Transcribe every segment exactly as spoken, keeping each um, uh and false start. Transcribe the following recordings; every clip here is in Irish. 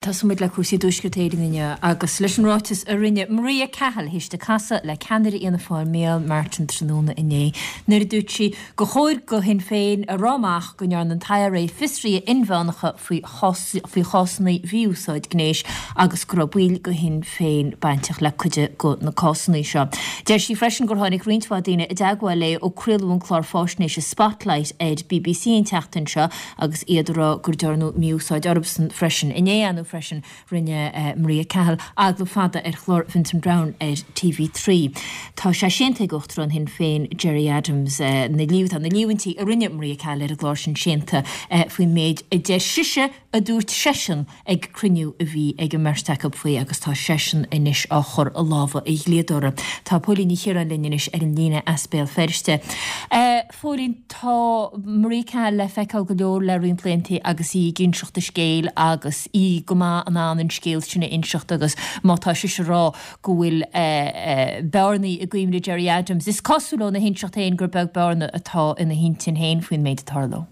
Tosóimid le cúrsaí i dTuaisceart Éireann inniu agus leis an ráiteas a rinne Maria Cahill théis di casadh le ceannaire Fhianna Fáil Micheál Martin tráthnóna inné nuair a dúirt sí gur chóir do Shinn Féin a rá amach go ndearna an t-I R A fiosruithe inmheánacha faoi faoi chásanna mhí-úsáid gnéis agus go raibh baill de Shinn Féin bainteach le cuid de na cásanna seo. Deir sí freisin gur tháinig roinnt mhaith daoine i dteagmháil léi ó craoladh an clár faisnéise Spotlight ar B B C an tseachtain seo agus iad ag rá gur dearnadh mí-úsáid orthusan freisin. Inné anú freisin rinne uh, Maria Cahill agallamh fada ar chlár Vincent Browne ar T V trí. Tá sé séanta ag Uachtarán Shinn Féin Gerry Adams uh, na líomh na líomhaintí a rinne Maria Cahill ar an gclár sin séanta uh, faoin méid a deir sise a dúirt seisean ag cruinniú a bhí ag an mbeirt acu faoi agus tá seisean anois á chur i lámha a dhlíodóra. Tá Póilín Ní Chiaráin linn anois ar an líne as Béal Feirste. Uh, Phóilín, tá Maria Cahill le feiceáil go leor le roinnt laethanta agus í ag inseacht a scéil agus í go maith in ann an scéal sin a inseacht agus má tá sí ag rá go bhfuil uh, uh, bearnaí i gcuimhne Gerry Adams. Is cosúil óna hinseacht féin gur beag bearna atá ina hintinn féin faoin méid a tharla.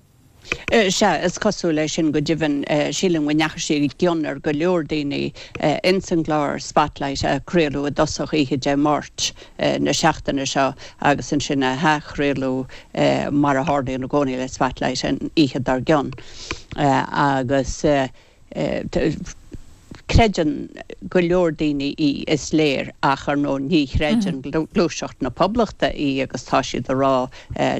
Sea, is cosúil leis sin go deimhin. Sílim go ndeachaigh sí i gcion ar go leor daoine ins an gclár Spotlight a craoladh i dtosach oíche Dé Máirt na seachtaine seo agus ansin a hathchraoladh, mar a tharlaíonn i gcónaí le Spotlight, an oíche dár gcionn. Agus creideann go leor daoine í, is léir, ach ar ndóigh ní chreideann Gluaiseacht na Poblachta í agus tá siad ag rá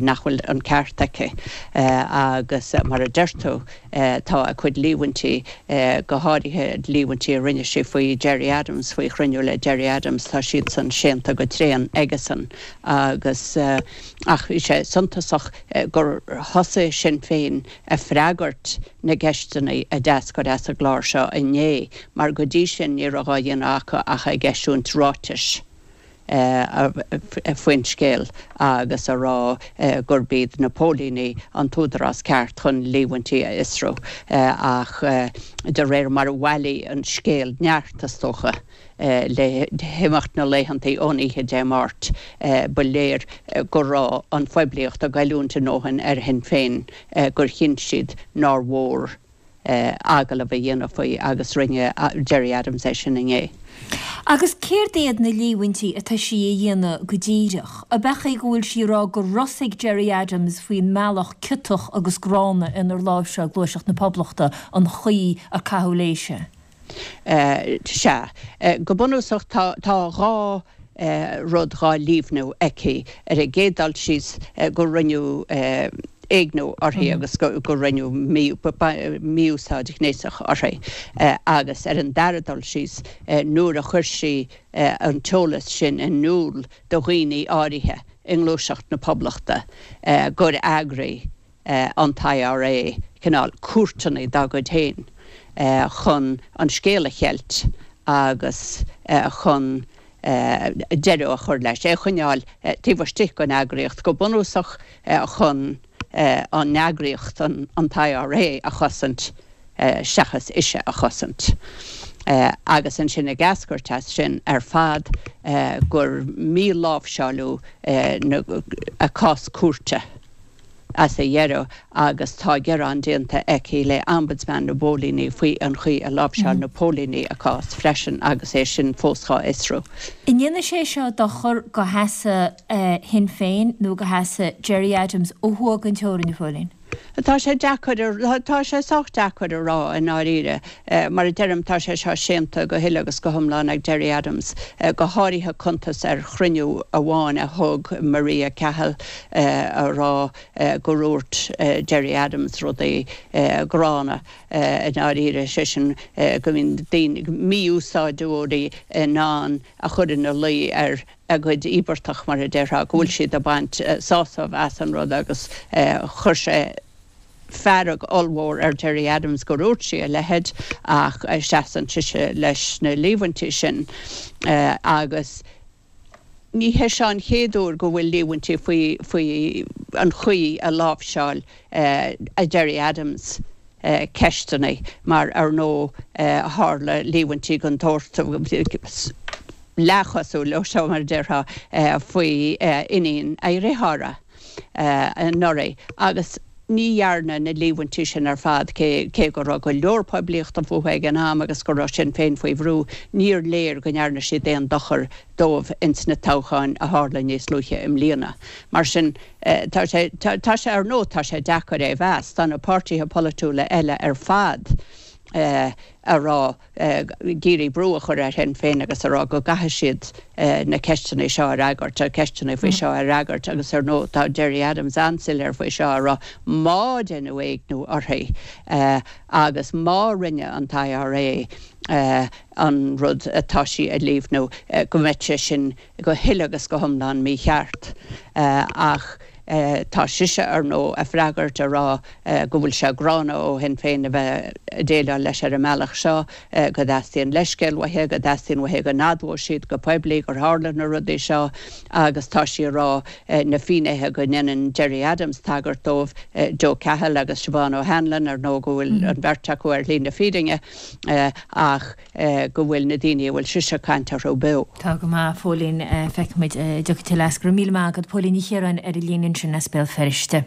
nach bhfuil an ceart aici. Agus mar a deir tú, tá a cuid líomhaintí, go háirithe líomhaintí a rinne sí faoi Gerry Adams, faoi chruinniú le Gerry Adams, tá siad san séanta go tréan aigesan. Agus ach bhí sé suntasach gur thosaigh Sinn Féin ag freagairt na gceisteanna a d'eascair as an gclár seo inné, mar go dtí sin ní raibh á dhéanamh acu ach ag eisiúint ráitis faoin scéal agus a rá gurb iad na póilíní an t-údarás ceart chun líomhaintí a fhiosrú. Ach de réir mar a bhailigh an scéal neart, is dócha, le himeacht na laethanta ón oíche Dé Máirt, ba léir go raibh an phoiblíocht ag goilliúint a ndóthain ar Shinn Féin gur chinn siad nár mhór agallamh a dhéanamh faoi, agus rinne Gerry Adams é sin inné. Agus céard iad na líomhaintí atá sí a dhéanamh go díreach? Ab é go bhfuil sí ag rá gur rosaigh Gerry Adams faoin mbealach ciotach agus gránna inar láimhseáil Gluaiseacht na Poblachta an chaoi a caitheadh léise? Sea, go bunúsach tá dhá rud dhá líomhnú aici. Ar an gcéad dul síos, go rinneadh éigniú uirthi agus go rinneadh mí-úsáid ghnéasach uirthi, agus ar an dara dul síos, nuair a chuir sí an t-eolas sin in iúl do dhaoine áirithe i nGluaiseacht na Poblachta gur eagraigh an I R A cineál cúirteanna dá gcuid féin chun an scéal a cheilt agus chun deireadh a chur leis, é choinneáil taobh istigh den eagraíocht, go bunúsach chun an eagraíocht, an I R A, a chosaint seachas ise a chosaint. Agus ansin ag eascairt as sin ar fad gur míláimhseáladh a cás cúirte as a dheireadh, agus tá gearán déanta aici le Ombudsman na bPóilíní faoi an chaoi a láimhseáil na póilíní a cás freisin agus é sin fós á fhiosrú. An ndéanann sé seo dochar do sheasamh Shinn Féin nó do sheasamh Gerry Adams ó thuaidh den teorainn, a Phóilín? Tá sé deacair, tá sé sách deacair a rá i ndáiríre. Mar a deirim, tá sé seo séanta go huile agus go hiomlán ag Gerry Adams, go háirithe cuntas ar chruinniú amháin a thug Maria Cahill a rá go ndúirt Gerry Adams rudaí gránna i ndáiríre, sé sin go mbíonn daoine, mí-úsáideoirí, in ann a chur ina luí ar a gcuid íobartach, mar a déarfá, go bhfuil siad ag baint sásamh as an rud, agus chuir sé fearg ollmhór ar Gerry Adams gur dhúirt sí a leithéid, ach seasann sise leis na líomhaintí sin. Agus ní hé seo an chéad uair go bhfuil líomhaintí faoi faoi an chaoi a láimhseáil a Gerry Adams ceisteanna, mar ar ndóigh tharla líomhaintí den tsórt leathchosúil leo seo, mar a déarfá, faoi iníon a dhearthára anuraidh agus Ní dhearna na líomhaintí sin ar fad, cé cé go raibh go leor poiblíochta fúthu ag an am agus go raibh Sinn Féin faoi bhrú, níor léir go ndearna siad aon dochar dóibh ins na toghcháin a tharla níos luaithe i mbliana. Mar sin, tá sé tá sé ar ndóigh tá sé deacair é a mheas. Tá na páirtithe polaitiúla eile ar fad a rá, ag iarraidh brú a chur ar Shinn Féin agus a rá go gcaithfidh siad na ceisteanna seo a fhreagairt, ceisteanna faoi seo a fhreagairt agus ar ndóigh tá Gerry Adams an-soiléir faoi seo a rá má deineadh éigniú uirthi agus má rinne an t-I R A an rud atá sí a líomhnú go mbeadh sé sin go huile agus go hiomlán mícheart. Ach tá sise ar ndóigh ag freagairt a rá go bhfuil sé gránna ó Shinn Féin a bheith ag déileáil leis ar an mbealach seo, go dteastaíonn leithscéal uaithi, go dteastaíonn uaithi go n-admhódh siad go poiblí gur tharla na rudaí seo agus tá sí a rá na finnéithe go ndéanann Gerry Adams tagairt dóibh, Joe Cahill agus Siobhán O'Hanlon, ar ndóigh go bhfuil an bheirt acu ar shlí na fírinne ach go bhfuil na daoine a bhfuil sise ag caint orthu beo. Tá go maith, Póilín, feicfimid an dtiocfaidh tuilleadh as. Go raibh míle maith agat, Póilín Ní Chiaráin ar an líne ansin as Béal Feirste.